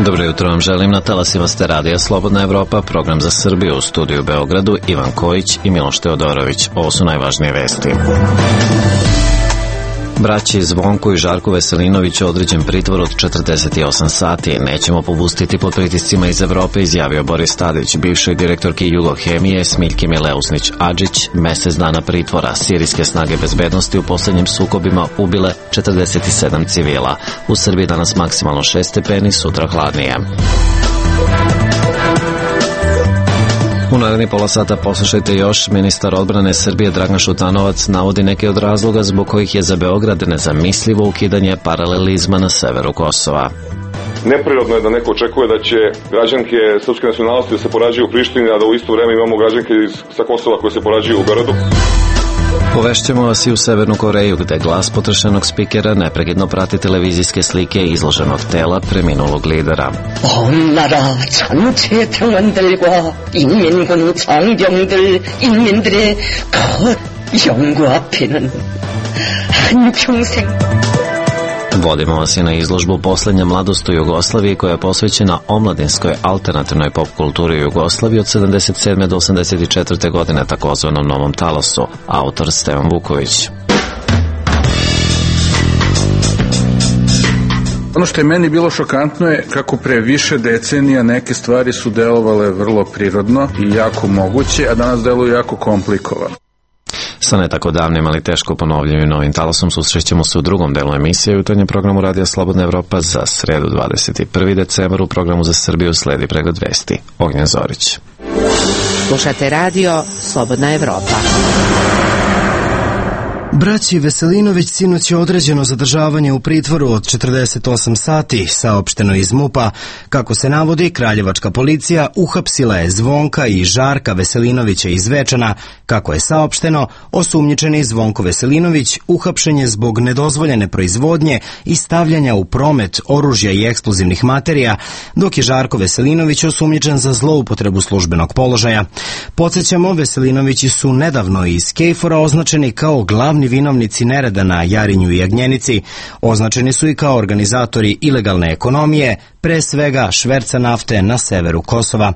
Dobro jutro vam želim, na talasima ste radija Slobodna Evropa, program za Srbiju, u studiju u Beogradu, Ivan Kojić i Miloš Teodorović. Ovo su najvažnije vesti. Braći Zvonko i Žarko Veselinović određen pritvor od 48 sati. Nećemo popustiti pod pritiscima iz Evrope, izjavio Boris Tadić. Bivšoj direktorki Jugohemije Smiljki Mileusnić-Adžić mesec dana pritvora. Sirijske snage bezbednosti u poslednjim sukobima ubile 47 civila. U Srbiji danas maksimalno 6 stepeni, sutra hladnije. U narednih pola sata poslušajte još. Ministar odbrane Srbije Dragan Šutanovac navodi neke od razloga zbog kojih je za Beograd nezamislivo ukidanje paralelizma na severu Kosova. Neprirodno je da neko očekuje da će građanke srpske nacionalnosti da se porađuju u Prištini, a da u isto vreme imamo građanke sa Kosova koje se porađuju u Beogradu. Povešćemo vas i u Severnu Koreju, gde glas potrošenog spikera neprekidno prati televizijske slike izloženog tela preminulog lidera. 온 나라 전체 평원들과 인민군 장병들 인민들의 그 영구 앞에는 한평생. Vodimo vas i na izložbu Poslednja mladost u Jugoslaviji, koja je posvećena omladinskoj alternativnoj pop kulturi u Jugoslaviji od 77. do 84. godine, takozvanom Novom talasu. Autor Stevan Vuković. Ono što je meni bilo šokantno je kako pre više decenija neke stvari su delovale vrlo prirodno i jako moguće, a danas deluju jako komplikovano. Sa ne tako davnim, ali teško ponovljivim Novim talasom susrećemo se u drugom delu emisije u jutarnjem programu Radija Slobodna Evropa za sredu 21. decembar. U programu za Srbiju sledi pregled vesti. Ognjen Zorić. Slušate radio Slobodna Evropa. Braći Veselinović sinoć je određeno zadržavanje u pritvoru od 48 sati, saopšteno iz MUP-a. Kako se navodi, kraljevačka policija uhapsila je Zvonka i Žarka Veselinovića iz Zvečana. Kako je saopšteno, osumnjičeni Zvonko Veselinović uhapšen je zbog nedozvoljene proizvodnje i stavljanja u promet oružja i eksplozivnih materija, dok je Žarko Veselinović osumnjičen za zloupotrebu službenog položaja. Podsjećamo, Veselinovići su nedavno iz KFOR-a označeni kao glavni vinovnici nereda na Jarinju i Jagnjenici. Označeni su i kao organizatori ilegalne ekonomije, pre svega šverca nafte na severu Kosova.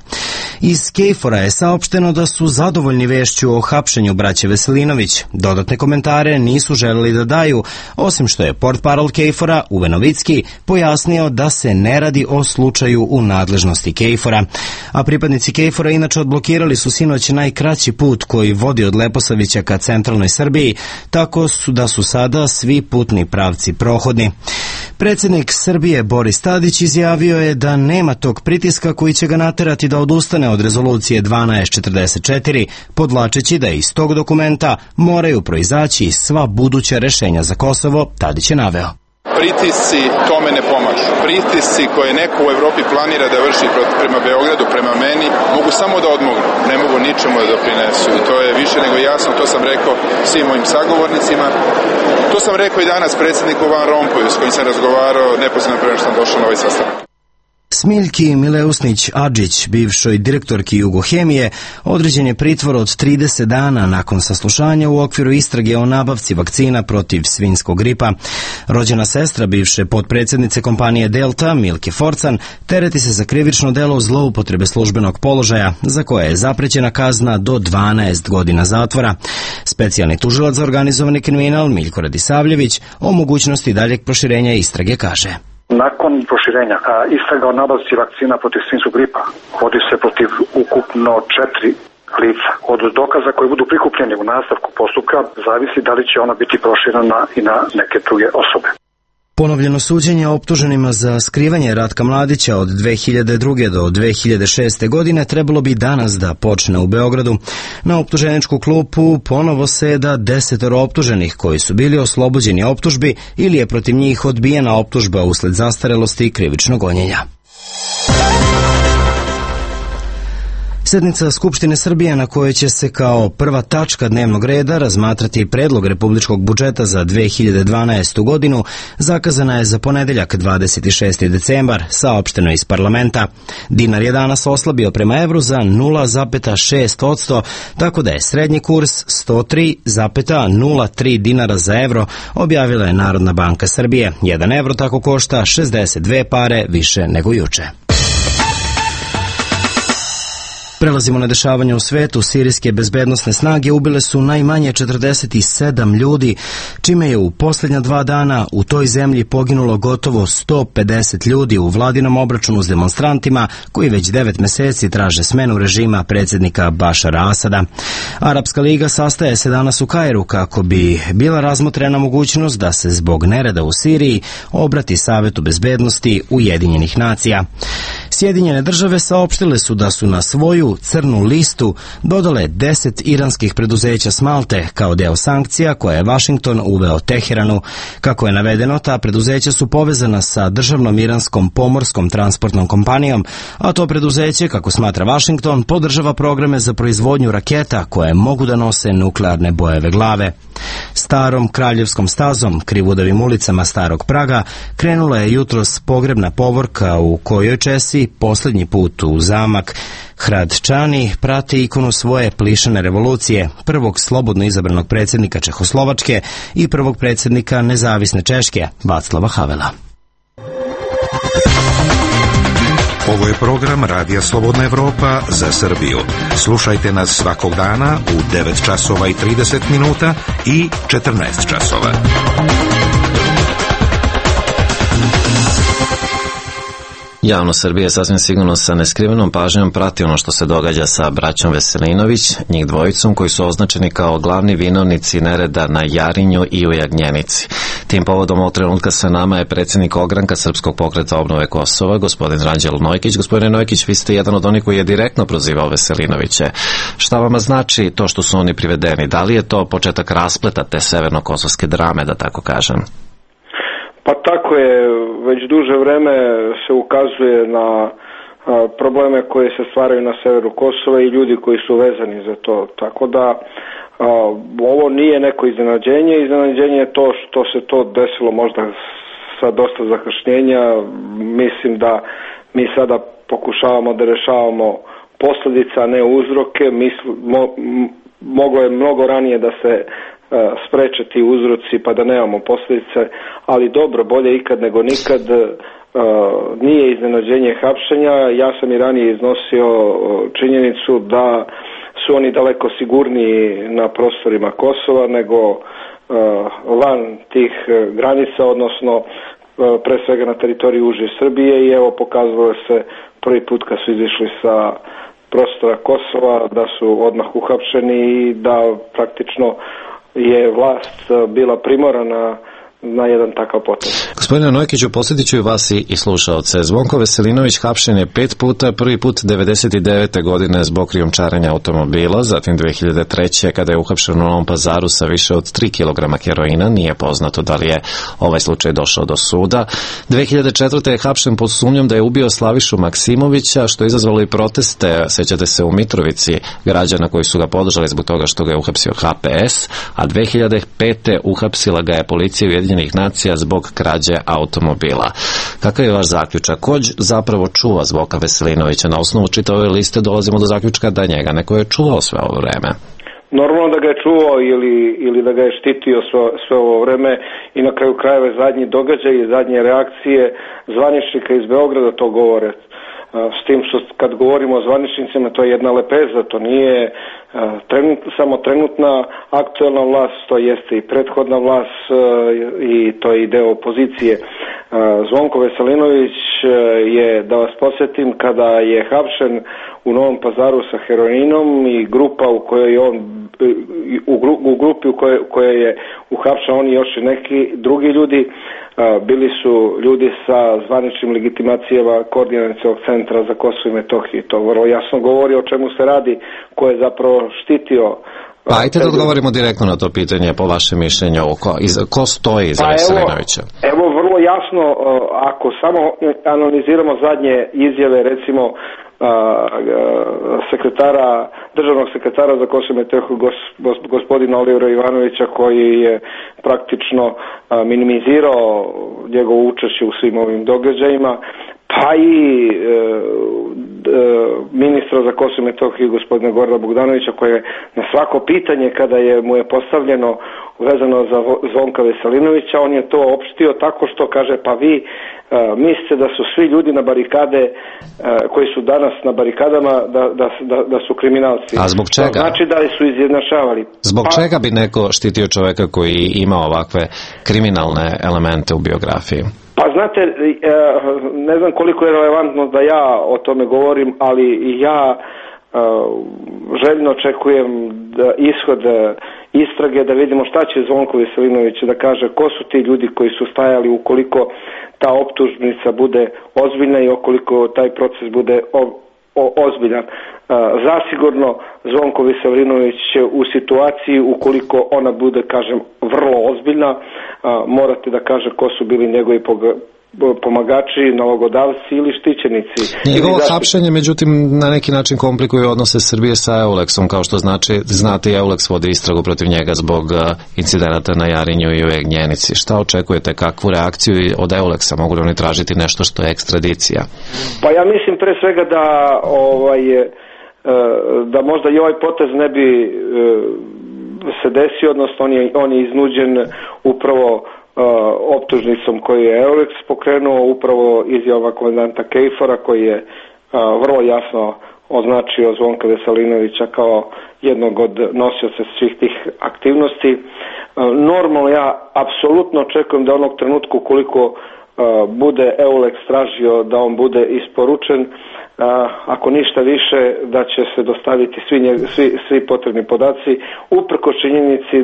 Iz KFOR-a je saopšteno da su zadovoljni vešću o hapšenju braće Veselinović. Dodatne komentare nisu želeli da daju, osim što je portparol KFOR-a Uwe Novicki pojasnio da se ne radi o slučaju u nadležnosti KFOR-a. A pripadnici KFOR-a inače odblokirali su sinoć najkraći put koji vodi od Leposavića ka centralnoj Srbiji, tako da su sada svi putni pravci prohodni. Predsjednik Srbije Boris Tadić izjavio je da nema tog pritiska koji će ga naterati da odustane od rezolucije 1244, podvlačeći da iz tog dokumenta moraju proizaći sva buduća rešenja za Kosovo. Tadić je naveo: pritisci tome ne pomažu. Pritisci koje neko u Evropi planira da vrši prema Beogradu, prema meni, mogu samo da odmognu, ne mogu ničemu da doprinesu. I to je više nego jasno, to sam rekao svim mojim sagovornicima. To sam rekao i danas predsjedniku Van Rompuyu, s kojim sam razgovarao neposredno pre nego što sam došao na ovaj sastanak. Smiljki Mileusnić-Adžić, bivšoj direktorki Jugohemije, određen je pritvor od 30 dana nakon saslušanja u okviru istrage o nabavci vakcina protiv svinjskog gripa. Rođena sestra bivše potpredsjednice kompanije Delta, Milke Forcan, tereti se za krivično delo zloupotrebe službenog položaja, za koje je zaprećena kazna do 12 godina zatvora. Specijalni tužilac za organizovani kriminal Miljko Radisavljević o mogućnosti daljeg proširenja istrage kaže: nakon proširenja istraga o nabavci vakcina protiv svinjskog gripa vodi se protiv ukupno 4 lica. Od dokaza koji budu prikupljeni u nastavku postupka zavisi da li će ona biti proširena i na neke druge osobe. Ponovljeno suđenje optuženima za skrivanje Ratka Mladića od 2002. do 2006. godine trebalo bi danas da počne u Beogradu. Na optuženičku klupu ponovo seda 10 optuženih koji su bili oslobođeni optužbi ili je protiv njih odbijena optužba usled zastarelosti i krivičnog gonjenja. Sednica Skupštine Srbije na kojoj će se kao prva tačka dnevnog reda razmatrati predlog republičkog budžeta za 2012. godinu zakazana je za ponedeljak 26. decembar, saopšteno iz parlamenta. Dinar je danas oslabio prema evru za 0,6%, tako da je srednji kurs 103,03 dinara za evro, objavila je Narodna banka Srbije. 1 evro tako košta 62 pare više nego juče. Prelazimo na dešavanje u svetu. Sirijske bezbednosne snage ubile su najmanje 47 ljudi, čime je u posljednja 2 dana u toj zemlji poginulo gotovo 150 ljudi u vladinom obračunu s demonstrantima koji već 9 meseci traže smenu režima predsjednika Bašara Asada. Arapska liga sastaje se danas u Kairu kako bi bila razmotrena mogućnost da se zbog nereda u Siriji obrati Savetu bezbednosti Ujedinjenih nacija. Sjedinjene države saopštile su da su na svoju crnu listu dodale 10 iranskih preduzeća s Malte kao deo sankcija koje je Vašington uveo Teheranu. Kako je navedeno, ta preduzeća su povezana sa državnom iranskom pomorskom transportnom kompanijom, a to preduzeće, kako smatra Vašington, podržava programe za proizvodnju raketa koje mogu da nose nuklearne bojeve glave. Starom kraljevskom stazom, krivudavim ulicama Starog Praga, krenula je jutros pogrebna povorka u kojoj Česi posljednji put u zamak Hradčani prati ikonu svoje plišane revolucije, prvog slobodno izabranog predsjednika Čehoslovačke i prvog predsjednika nezavisne Češke, Václava Havela. Ovo je program Radija Slobodna Evropa za Srbiju. Slušajte nas svakog dana u 9 časova i 30 minuta i 14 časova. Javnost Srbije sasvim sigurno sa neskrivenom pažnjom prati ono što se događa sa braćom Veselinović, njih dvojicom koji su označeni kao glavni vinovnici nereda na Jarinju i u Jagnjenici. Tim povodom ovog trenutka sa nama je predsjednik ogranka Srpskog pokreta obnove Kosova, gospodin Ranđelo Nojkić. Gospodine Nojkić, vi ste jedan od onih koji je direktno prozivao Veselinoviće. Šta vama znači to što su oni privedeni? Da li je to početak raspleta te severno-kosovske drame, da tako kažem? Pa tako je, već duže vreme se ukazuje na probleme koje se stvaraju na severu Kosova i ljudi koji su vezani za to. Tako da ovo nije neko iznenađenje. Iznenađenje je to što se to desilo možda sa dosta zakašnjenja. Mislim da mi sada pokušavamo da rešavamo posljedice, a ne uzroke. Moglo je mnogo ranije da se spreče ti uzroci pa da nemamo posljedice, ali dobro, bolje ikad nego nikad. Nije iznenađenje hapšenja. Ja sam i ranije iznosio činjenicu da su oni daleko sigurniji na prostorima Kosova nego van tih granica, odnosno pre svega na teritoriji uže Srbije, i evo pokazalo se prvi put kad su izišli sa prostora Kosova da su odmah uhapšeni i da praktično je vlast bila primorana na jedan takav potez. Gospodine Nojkiću, posjetit ću i vas i slušaoce. Zvonko Veselinović hapšen je 5 puta, prvi put 99. godine zbog krijumčarenja automobila, zatim 2003. kada je uhapšen u Novom Pazaru sa više od 3 kg heroina, nije poznato da li je ovaj slučaj došao do suda. 2004. je hapšen pod sumnjom da je ubio Slavišu Maksimovića, što je izazvalo i proteste, sećate se, u Mitrovici, građana koji su ga podržali zbog toga što ga je uhapsio HPS, a 2005. uhapsila ga je policija Ujedinjenih nacija zbog krađe automobila. Kakav je vaš zaključak? Ko zapravo čuva Zvonka Veselinovića? Na osnovu čitave ove liste dolazimo do zaključka da njega neko je čuvao sve ovo vreme. Normalno da ga je čuvao ili da ga je štitio sve ovo vreme, i na kraju krajeva zadnji događaj i zadnje reakcije zvaničnika iz Beograda to govore. S tim što kad govorimo o zvaničnicima, to je jedna lepeza, to nije samo trenutna aktuelna vlast, to jeste i prethodna vlast i to je i deo opozicije. Zvonko Veselinović je, da vas podsjetim, kada je hapšen u Novom Pazaru sa heroinom i grupa u kojoj je on u grupi u kojoj je uhapšen on i još i neki drugi ljudi, bili su ljudi sa zvaničnim legitimacijama Koordinacionog centra za Kosovo i Metohiju. To vrlo jasno govori o čemu se radi, ko je zapravo štitio. Pa ajte da odgovorimo direktno na to pitanje, po vašem mišljenju, ko stoji iza Veselinovića? Evo, vrlo jasno, ako samo analiziramo zadnje izjave, recimo državnog sekretara za Kosovo i Metohiju gospodina Olivera Ivanovića, koji je praktično minimizirao njegovo učešće u svim ovim događajima, pa i ministra za Kosovo i Metohiju gospodina Gorana Bogdanovića, koji je na svako pitanje kada mu je postavljeno vezano za Zvonka Veselinovića, on je to opštio tako što kaže, pa vi mislite da su svi ljudi na barikade koji su danas na barikadama da su kriminalci. A zbog čega? To znači da su izjednačavali. Zbog čega bi neko štitio čoveka koji ima ovakve kriminalne elemente u biografiji? Pa znate, ne znam koliko je relevantno da ja o tome govorim, ali ja željno očekujem ishod istrage, da vidimo šta će Zvonko Veselinović da kaže, ko su ti ljudi koji su stajali ukoliko ta optužnica bude ozbiljna i ukoliko taj proces bude ozbiljan. Zasigurno Zvonko Veselinović će u situaciji, ukoliko ona bude, kažem, vrlo ozbiljna, morate da kaže ko su bili njegovi pomagači, nalogodavci ili štićenici. Njegovo hapšenje, međutim, na neki način komplikuje odnose Srbije sa Euleksom, kao što znate, Euleks vodi istragu protiv njega zbog incidenata na Jarinju i u Jagnjenici. Šta očekujete, kakvu reakciju od Euleksa? Mogu li oni tražiti nešto što je ekstradicija? Pa ja mislim pre svega da možda i ovaj potez ne bi se desio, odnosno on je iznuđen upravo optužnicom koju je Euleks pokrenuo, upravo izjava komandanta Kejfora, koji je vrlo jasno označio Zvonka Veselinovića kao jednog od nosioca svih tih aktivnosti. Normalno ja apsolutno očekujem da onog trenutka koliko bude Euleks tražio da on bude isporučen, ako ništa više, da će se dostaviti svi potrebni podaci, uprkos činjenici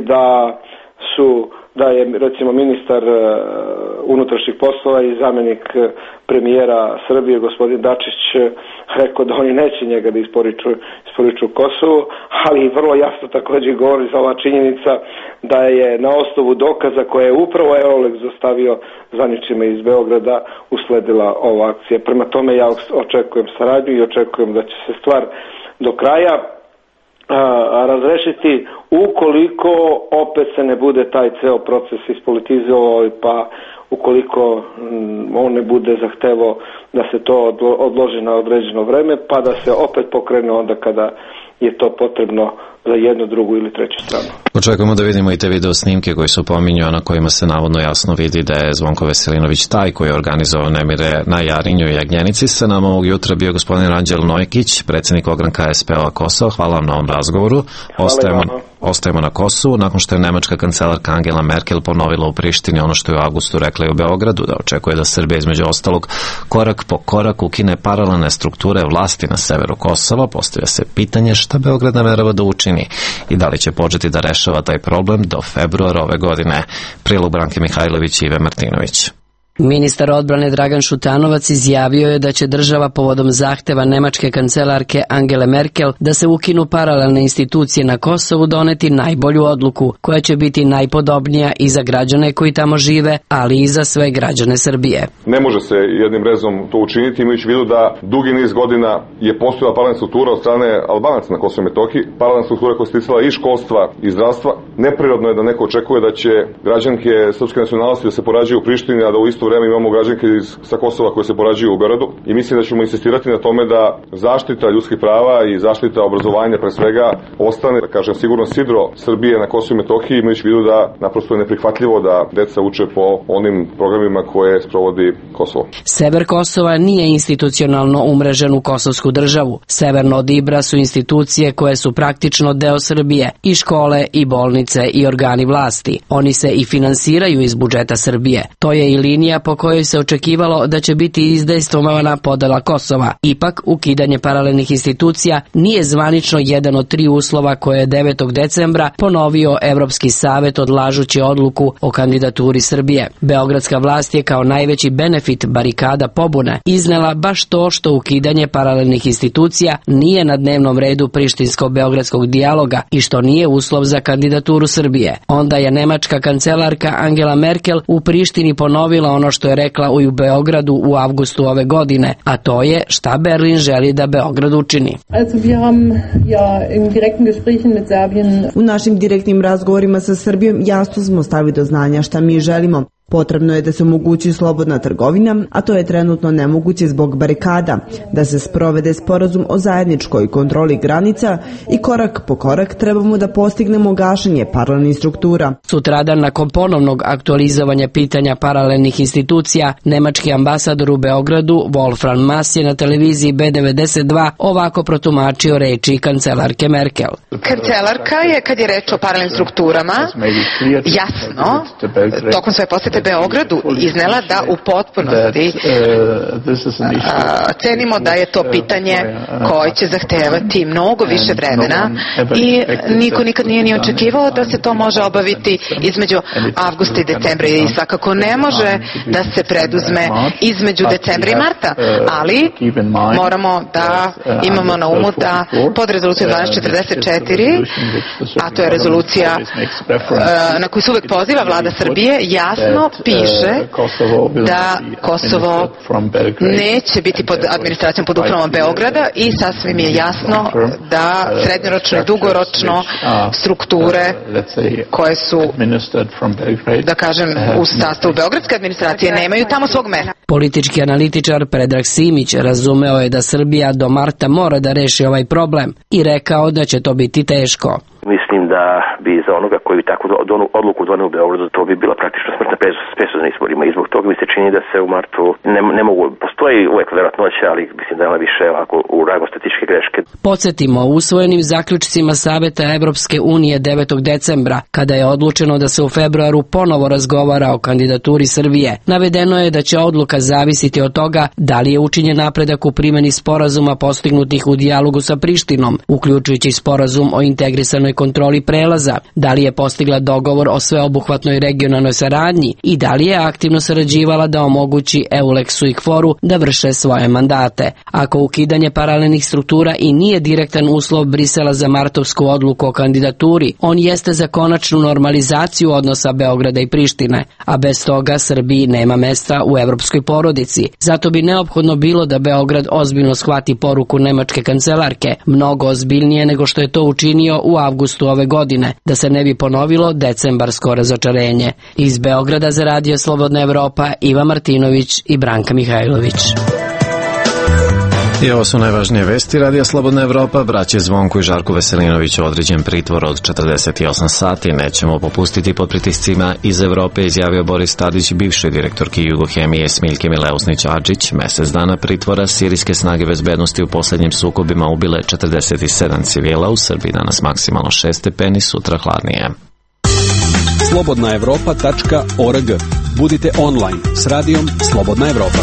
da je recimo ministar unutrašnjih poslova i zamjenik premijera Srbije gospodin Dačić rekao da oni neće njega da isporuču Kosovu, ali vrlo jasno također govori za ova činjenica da je na osnovu dokaza koje je upravo Euleks dostavio zvaničnima iz Beograda usledila ova akcija. Prema tome ja očekujem saradnju i očekujem da će se stvar do kraja razrešiti ukoliko opet se ne bude taj ceo proces ispolitizovao, pa ukoliko on ne bude zahtevao da se to odloži na određeno vreme, pa da se opet pokrene onda kada je to potrebno za jednu, drugu ili treću stranu. Očekujemo da vidimo i te video snimke koji su pominju, na kojima se navodno jasno vidi da je Zvonko Veselinović taj koji je organizovao nemire na Jarinju i Jagnjenici. Sa nama ovog jutra bio gospodin Ranđel Nojkić, predsjednik ogranka SPO-a Kosova. Hvala vam na ovom razgovoru. Ostajemo na Kosovu, nakon što je nemačka kancelarka Angela Merkel ponovila u Prištini ono što je u avgustu rekla i u Beogradu, da očekuje da Srbija između ostalog korak po korak ukine paralelne strukture vlasti na severu Kosova. Postavlja se pitanje šta Beograd namerava da učini i da li će početi da rešava taj problem do februara ove godine. Prilog Branke Mihajlović i Ive Martinović. Ministar odbrane Dragan Šutanovac izjavio je da će država povodom zahteva nemačke kancelarke Angele Merkel da se ukinu paralelne institucije na Kosovu doneti najbolju odluku, koja će biti najpodobnija i za građane koji tamo žive, ali i za sve građane Srbije. Ne može se jednim rezom to učiniti, imajući u vidu da dugi niz godina je postojala paralelna struktura od strane Albanaca na Kosovu i Metohiji, paralelna struktura koja se ticala i školstva i zdravstva. Neprirodno je da neko očekuje da će građanke srpske nacionalnosti da se porađaju u Prištini, a da u isto vreme imamo građanke sa Kosova koje se porađuju u Beogradu, i mislim da ćemo insistirati na tome da zaštita ljudskih prava i zaštita obrazovanja pre svega ostane, da kažem, sigurno sidro Srbije na Kosovu i Metohiji, imajući u vidu da naprosto je neprihvatljivo da deca uče po onim programima koje sprovodi Kosovo. Sever Kosova nije institucionalno umrežen u kosovsku državu. Severno od Ibra su institucije koje su praktično deo Srbije, i škole, i bolnice, i organi vlasti. Oni se i finansiraju iz budžeta Srbije. To je i linija po kojoj se očekivalo da će biti izdejstvovana podela Kosova. Ipak, ukidanje paralelnih institucija nije zvanično jedan od 3 uslova koje je 9. decembra ponovio Evropski savet odlažući odluku o kandidaturi Srbije. Beogradska vlast je kao najveći benefit barikada pobune iznela baš to što ukidanje paralelnih institucija nije na dnevnom redu prištinsko-beogradskog dijaloga i što nije uslov za kandidaturu Srbije. Onda je nemačka kancelarka Angela Merkel u Prištini ponovila ono ono što je rekla u Beogradu u avgustu ove godine, a to je šta Berlin želi da Beograd učini. U našim direktnim razgovorima sa Srbijom jasno smo stavili do znanja šta mi želimo. Potrebno je da se omogući slobodna trgovina, a to je trenutno nemoguće zbog barikada, da se sprovede sporazum o zajedničkoj kontroli granica i korak po korak trebamo da postignemo gašenje paralelnih struktura. Sutradan, nakon ponovnog aktualizovanja pitanja paralelnih institucija, nemački ambasador u Beogradu, Wolfram Maass, je na televiziji B92 ovako protumačio reči kancelarke Merkel. Kancelarka je, kad je reč o paralelnim strukturama, jasno, tokom svoje posete Beogradu iznela da u potpunosti cenimo da je to pitanje koje će zahtevati mnogo više vremena i niko nikad nije ni očekivao da se to može obaviti između avgusta i decembra i svakako ne može da se preduzme između decembra i marta, ali moramo da imamo na umu da pod rezolucijom 1244, a to je rezolucija na koju se uvek poziva vlada Srbije, jasno piše da Kosovo neće biti pod administracijom, pod upravom Beograda i sasvim je jasno da srednjoročno i dugoročno strukture koje su, da kažem, u sastavu beogradske administracije nemaju tamo svog mesta. Politički analitičar Predrag Simić razumeo je da Srbija do marta mora da reši ovaj problem i rekao da će to biti teško. Mislim da bi za onoga koji bi takvu odluku doneo u Beogradu, to bi bila praktično smrtna presuda na izborima i zbog toga mi se čini da se u martu ne mogu, postoji uvek verovatnoća, ali mislim da je ona više ovako u rangu statističke greške. Podsjetimo, u usvojenim zaključcima Saveta Evropske unije 9. decembra, kada je odlučeno da se u februaru ponovo razgovara o kandidaturi Srbije, navedeno je da će odluka zavisiti od toga da li je učinjen napredak u primjeni sporazuma postignutih u dijalogu sa Prištinom, uključujući sporazum o integrisanoj kontroli prelaza, da li je postigla dogovor o sveobuhvatnoj regionalnoj saradnji i da li je aktivno sarađivala da omogući EULEX-u i KFOR-u da vrše svoje mandate. Ako ukidanje paralelnih struktura i nije direktan uslov Brisela za martovsku odluku o kandidaturi, on jeste za konačnu normalizaciju odnosa Beograda i Prištine, a bez toga Srbiji nema mesta u evropskoj porodici. Zato bi neophodno bilo da Beograd ozbiljno shvati poruku nemačke kancelarke, mnogo ozbiljnije nego što je to učinio u avgustu ove godine, da se ne bi ponovilo decembarsko razočarenje. Iz Beograda za Radio Slobodna Evropa, Iva Martinović i Branka Mihajlović. I ovo su najvažnije vesti Radija Slobodna Evropa. Braće Zvonko i Žarko Veselinoviću određen pritvor od 48 sati. Nećemo popustiti pod pritiscima iz Evrope, izjavio Boris Tadić, bivšoj direktorki Jugohemije Smiljke Mileusnić-Adžić. Mesec dana pritvora, sirijske snage bezbednosti u poslednjim sukobima ubile 47 civila. U Srbiji danas maksimalno 6 stepeni, sutra hladnije. slobodnaevropa.org. Budite online s radijom Slobodna Evropa.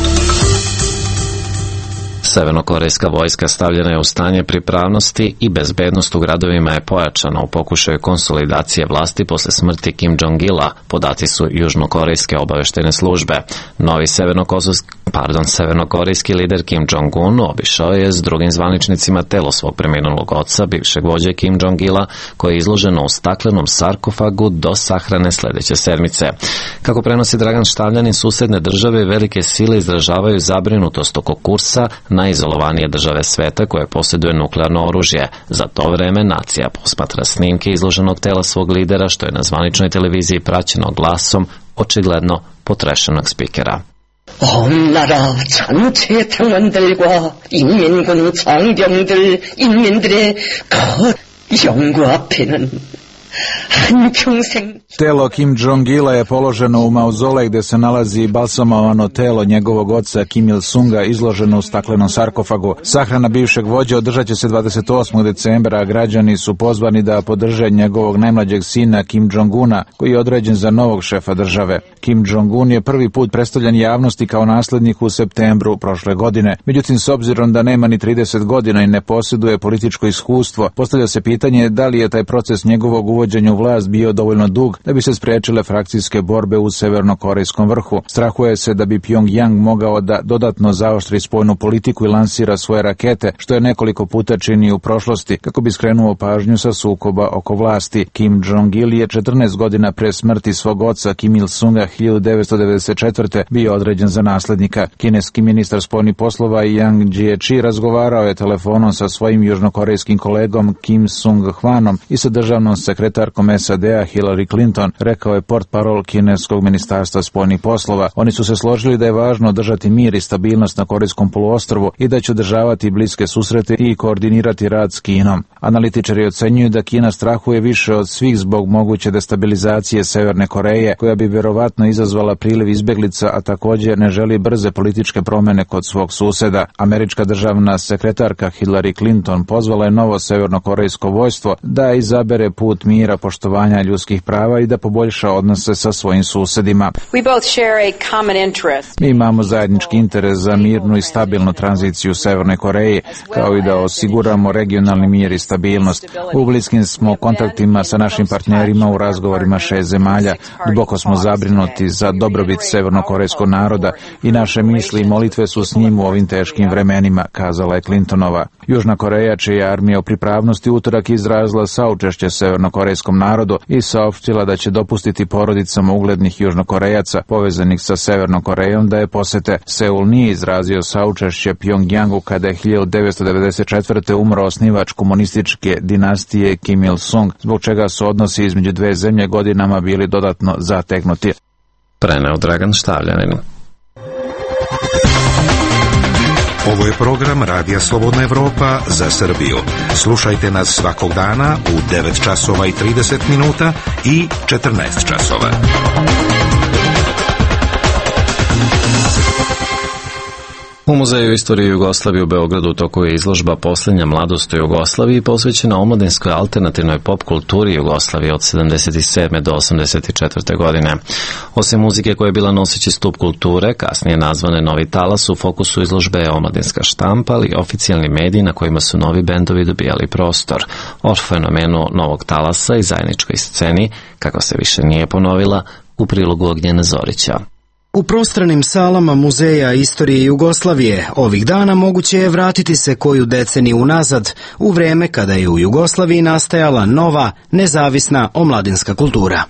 Severnokorejska vojska stavljena je u stanje pripravnosti i bezbednost u gradovima je pojačana u pokušaju konsolidacije vlasti posle smrti Kim Jong-ila, podaci su južnokorejske obaveštene službe. Novi severnokorejski lider Kim Jong-un obišao je s drugim zvaničnicima telo svog preminulog oca, bivšeg vođe Kim Jong-ila, koje je izloženo u staklenom sarkofagu do sahrane sledeće sedmice. Kako prenosi Dragan Štavljanin, susedne države i velike sile izražavaju zabrinutost oko kursa najizolovanije države sveta koje posjeduje nuklearno oružje. Za to vreme nacija posmatra snimke izloženog tela svog lidera, što je na zvaničnoj televiziji praćeno glasom očigledno potrešenog spikera. 온 나라 전체 당원들과 인민군 장병들, 인민들의 그 영구 앞에는 Telo Kim Jong-ila je položeno u mauzolej gde se nalazi balsamovano telo njegovog oca Kim Il-sunga izloženo u staklenom sarkofagu. Sahrana bivšeg vođe održat će se 28. decembra, a građani su pozvani da podrže njegovog najmlađeg sina Kim Jong-una, koji je određen za novog šefa države. Kim Jong-un je prvi put predstavljan javnosti kao naslednik u septembru prošle godine. Međutim, s obzirom da nema ni 30 godina i ne posjeduje političko iskustvo, postavlja se pitanje da li je taj proces njegovog uvođenja u vlast bio dovoljno dug da bi se spriječile frakcijske borbe u severnokorejskom vrhu. Strahuje se da bi Pyongyang mogao da dodatno zaoštri spoljnu politiku i lansira svoje rakete, što je nekoliko puta čini u prošlosti, kako bi skrenuo pažnju sa sukoba oko vlasti. Kim Jong-il je 14 godina pre smrti svog oca Kim Il-sunga 1994. bio određen za naslednika. Kineski ministar spoljnih poslova Yang Jiechi razgovarao je telefonom sa svojim južnokorejskim kolegom Kim Sung-hwanom i sa državnom sekretarkom SAD-a Hillary Clinton, rekao je portparol kineskog ministarstva spoljnih poslova. Oni su se složili da je važno održati mir i stabilnost na Korejskom poluostrvu i da će održavati bliske susrete i koordinirati rad s Kinom. Analitičari ocenjuju da Kina strahuje više od svih zbog moguće destabilizacije Severne Koreje, koja bi vjerovatno izazvala priliv izbjeglica, a također ne želi brze političke promjene kod svog suseda. Američka državna sekretarka Hillary Clinton pozvala je novo severnokorejsko vojstvo da izabere put mira, poštovanja ljudskih prava i da poboljša odnose sa svojim susedima. Mi imamo zajednički interes za mirnu i stabilnu tranziciju u Severnoj Koreji, kao i da osiguramo regionalni mir i stabilnost. U bliskim smo kontaktima sa našim partnerima u razgovorima 6 zemalja. Duboko smo zabrinuti za dobrobit severnokorejskog naroda i naše misli i molitve su s njim u ovim teškim vremenima, kazala je Clintonova. Južna Koreja, čija armija u pripravnosti, utorak izrazila saučešće severnokorejskom narodu i saopštila da će dopustiti porodicama uglednih južnokorejaca povezanih sa Severnom Korejom da je posete. Seul nije izrazio saučešće Pyongyangu kada je 1994. umro osnivač komunističke dinastije Kim Il-sung, zbog čega su odnosi između dve zemlje godinama bili dodatno zategnuti. Preneo Dragan Štavljanin. Ovo je program Radija Slobodna Evropa za Srbiju. Slušajte nas svakog dana u 9 časova i 30 minuta i 14 časova. U Muzeju istorije Jugoslavije u Beogradu u toku je izložba Posljednja mladost u Jugoslaviji posvećena omladinskoj alternativnoj pop kulturi Jugoslavije od 77. do 84. godine. Osim muzike koja je bila noseći stup kulture, kasnije nazvane Novi talas, u fokusu izložbe je omladinska štampa, ali i oficijalni mediji na kojima su novi bendovi dobijali prostor. O fenomenu Novog talasa i zajedničkoj sceni, kako se više nije ponovila, u prilogu Ognjena Zorića. U prostranim salama Muzeja istorije Jugoslavije ovih dana moguće je vratiti se koju deceniju unazad, u vreme kada je u Jugoslaviji nastajala nova, nezavisna omladinska kultura.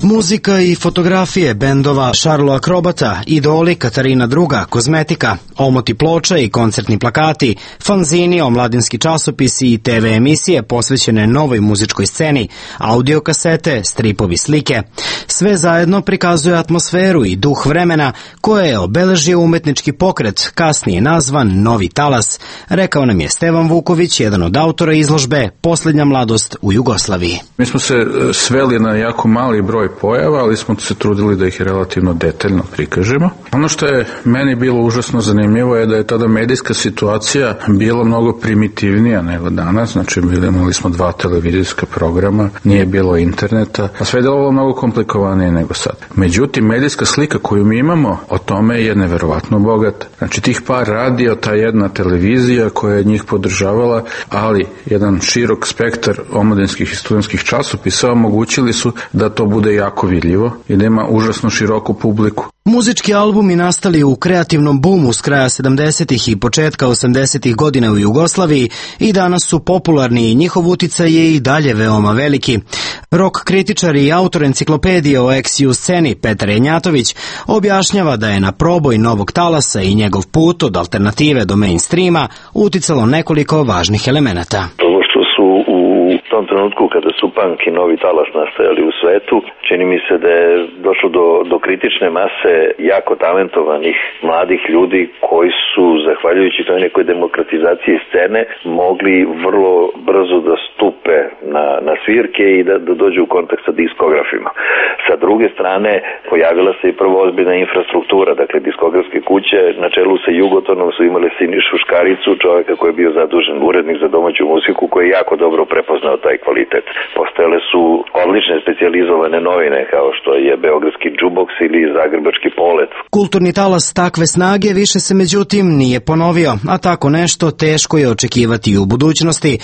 Muzika i fotografije bendova Šarlo Akrobata, Idoli, Katarina II, Kozmetika, omoti ploča i koncertni plakati, fanzini, omladinski časopisi i TV emisije posvećene novoj muzičkoj sceni, audio kasete, stripovi, slike. Sve zajedno prikazuje atmosferu i duh vremena koje je obeležio umetnički pokret, kasnije nazvan Novi talas, rekao nam je Stevan Vuković, jedan od autora izložbe Posljednja mladost u Jugoslaviji. Mi smo se sveli na jako mali broj pojava, ali smo se trudili da ih relativno detaljno prikažemo. Ono što je meni bilo užasno zanimljivo je da je tada medijska situacija bila mnogo primitivnija nego danas, znači imali smo 2 televizijska programa, nije bilo interneta, a sve je delovalo mnogo komplikovanije nego sad. Međutim, medijska slika koju mi imamo o tome je neverovatno bogata. Znači tih par radija, ta jedna televizija koja je njih podržavala, ali jedan širok spektar omladinskih i studentskih časopisa omogućili su da to bude jako vidljivo i da ima užasno široku publiku. Muzički albumi nastali u kreativnom bumu s kraja 70. i početka 80. godina u Jugoslaviji i danas su popularni i njihov uticaj je i dalje veoma veliki. Rock kritičar i autor enciklopedije o ex-ju sceni Petar Janjatović objašnjava da je na proboj Novog talasa i njegov put od alternative do mainstreama uticalo nekoliko važnih elemenata. U tom trenutku kada su punk i Novi talas nastajali u svetu, čini mi se da je došlo do kritične mase jako talentovanih mladih ljudi koji su, zahvaljujući toj nekoj demokratizaciji scene, mogli vrlo brzo da stupe na svirke i da dođu u kontakt sa diskografima. Sa druge strane, pojavila se i prvo ozbiljna infrastruktura, dakle diskografske kuće, na čelu sa Jugotonom su imali Sinišu Škaricu, čovjeka koji je bio zadužen urednik za domaću muziku, koji je jako dobro prepoznao taj taj kvalitet. Postojale su odlične specijalizovane novine kao što je Beogradski džuboks ili Zagrebački polet. Kulturni talas takve snage više se međutim nije ponovio, a tako nešto teško je očekivati i u budućnosti,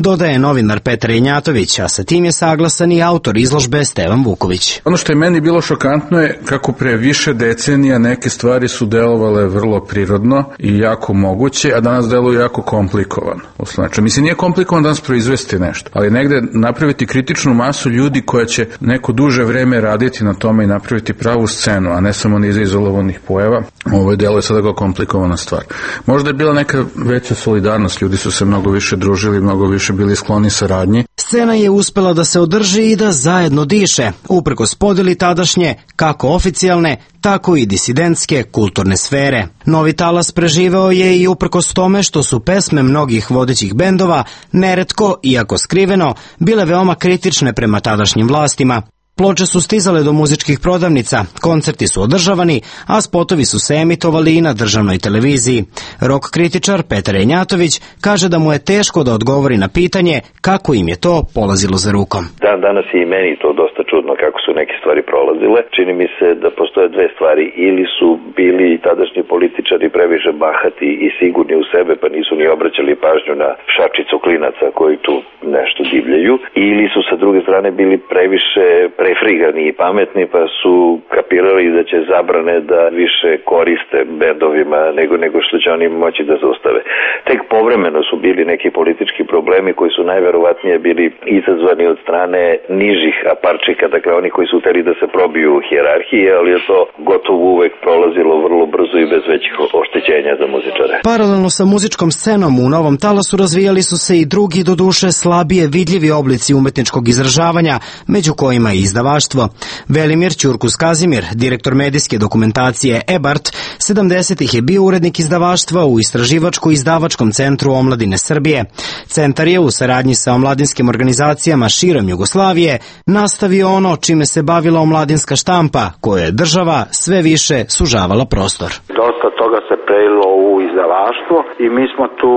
dodaje novinar Petar Jenjatović, a sa tim je saglasan i autor izložbe Stevan Vuković. Ono što je meni bilo šokantno je kako pre više decenija neke stvari su delovale vrlo prirodno i jako moguće, a danas deluju jako komplikovano. Znači, mislim, nije komplikovano danas proizvesti nešto, ali negde napraviti kritičnu masu ljudi koja će neko duže vreme raditi na tome i napraviti pravu scenu, a ne samo niz izolovanih pojava, ovo je deluje sada kao komplikovana stvar. Možda je bila neka veća solidarnost, ljudi su se mnogo više družili, mnogo više bili skloni saradnji. Scena je uspela da se održi i da zajedno diše, uprkos podeli tadašnje, kako oficijalne, tako i disidentske kulturne sfere. Novi talas preživeo je i uprkos tome što su pesme mnogih vodećih bendova neretko, iako skriveno, bile veoma kritične prema tadašnjim vlastima. Ploče su stizale do muzičkih prodavnica, koncerti su održavani, a spotovi su se emitovali i na državnoj televiziji. Rock kritičar Petar Jenjatović kaže da mu je teško da odgovori na pitanje kako im je to polazilo za rukom. Danas je i meni to dosta čudno kako su neke stvari prolazile. Čini mi se da postoje dve stvari. Ili su bili tadašnji političari previše bahati i sigurni u sebe pa nisu ni obraćali pažnju na šačicu klinaca koji tu nešto divljaju. Ili su sa druge strane bili previše prefrigani i pametni pa su kapirali da će zabrane da više koriste bendovima nego što će oni moći da zaustave. Tek povremeno su bili neki politički problemi koji su najverovatnije bili izazvani od strane nižih aparčika, dakle oni koji su hteli da se probiju u hijerarhiji, ali je to gotovo uvek prolazilo vrlo brzo i bez većih oštećenja za muzičare. Paralelno sa muzičkom scenom u novom talasu razvijali su se i drugi, doduše slabije vidljivi oblici umetničkog izražavanja, među kojima i izdavaštvo. Velimir Ćurkus Kazimir, direktor medijske dokumentacije EBART, 70-ih je bio urednik izdavaštva u Istraživačko-izdavačkom centru omladine Srbije. Centar je u saradnji sa omladinskim organizacijama širom Jugoslavije nastavio ono čime se bavila omladinska štampa, koje je država sve više sužavala prostor. Dosta toga se prelilo u izdavaštvo i mi smo tu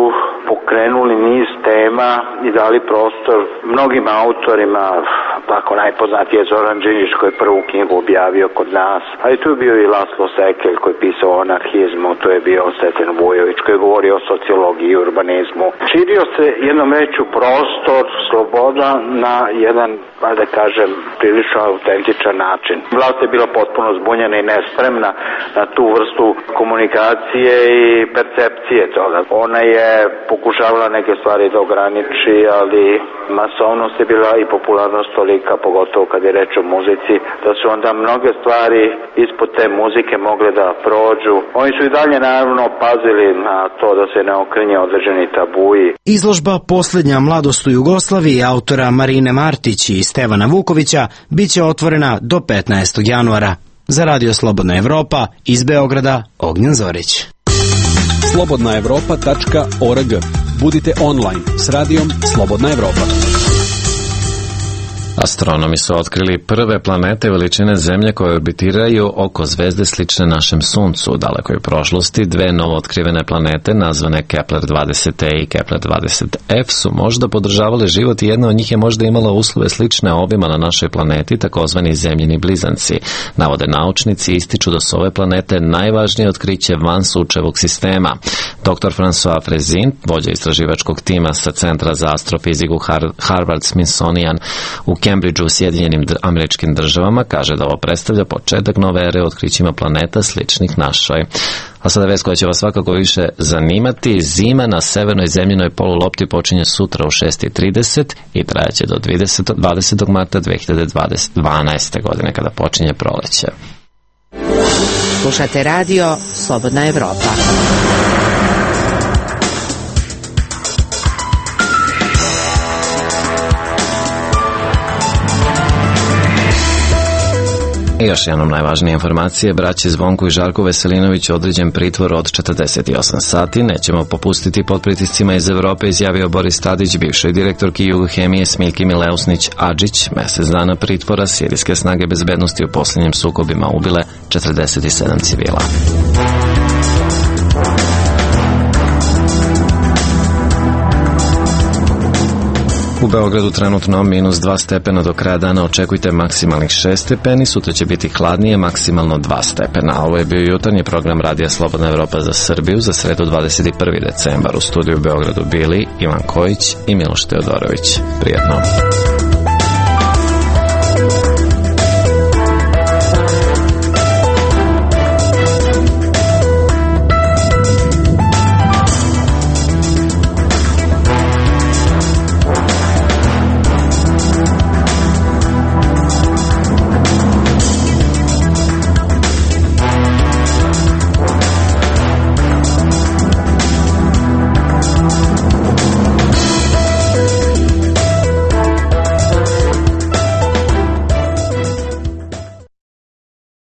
pokrenuli niz tema i dali prostor mnogim autorima, tako najpoznatiji je Zoran Đinđić koji je prvu knjigu objavio kod nas, ali tu je bio i Laslo Sekelj koji je pisao o anarhizmu, tu je bio Steten Vujović koji je govorio o sociologiji i urbanizmu. Širio se jednom veću prostor, sloboda na jedan, da kažem, prilično autentičan način. Vlast je bila potpuno zbunjena i nespremna na tu vrstu komunikacije i percepcije toga. Ona je pokušavala neke stvari da ograniči, ali masovnost je bila i popularnost tolika, pogotovo kad je reč o muzici, da su onda mnoge stvari ispod te muzike mogle da prođu. Oni su i dalje naravno pazili na to da se ne okrenje određeni tabuji. Izložba Poslednja mladost u Jugoslaviji autora Marine Martić i Stevana Vukovića biće otvorena do 15. januara. Za Radio Slobodna Evropa, iz Beograda, Ognjen Zorić. slobodnaevropa.org. Budite online s radijom Slobodna Evropa. Astronomi su otkrili prve planete veličine Zemlje koje orbitiraju oko zvezde slične našem Suncu. U dalekoj prošlosti dve novootkrivene planete nazvane Kepler 20e i Kepler 20f su možda podržavale život i jedna od njih je možda imala uslove slične ovima na našoj planeti, takozvani zemljini blizanci. Navode naučnici ističu da su ove planete najvažnije otkriće van Sunčevog sistema. Dr. François Frezin, vođa istraživačkog tima sa Centra za astrofiziku Harvard-Smithsonian u Cambridgeu u Sjedinjenim Američkim Državama, kaže da ovo predstavlja početak nove ere u otkrićima planeta sličnih našoj. A sada vest koja će vas svakako više zanimati. Zima na severnoj zemljinoj polulopti počinje sutra u 6:30 i trajaće do 20. marta 2012. godine kada počinje proleće. Slušate radio Slobodna Evropa. I još jednom najvažnije informacije, braći Zvonku i Žarku Veselinoviću određen pritvor od 48 sati. Nećemo popustiti pod pritiscima iz Evrope, izjavio Boris Tadić, bivšoj direktorki Jugohemije Smiljki Mileusnić-Adžić. Mesec dana pritvora, sirijske snage bezbednosti u posljednjim sukobima ubile 47 civila. U Beogradu trenutno minus 2 stepena, do kraja dana očekujte maksimalnih 6 stepeni, sutra će biti hladnije, maksimalno 2 stepena. Ovo je bio jutarnji program Radija Slobodna Evropa za Srbiju za sredu 21. decembar. U studiju u Beogradu bili Ivan Kojić i Miloš Teodorović. Prijetno.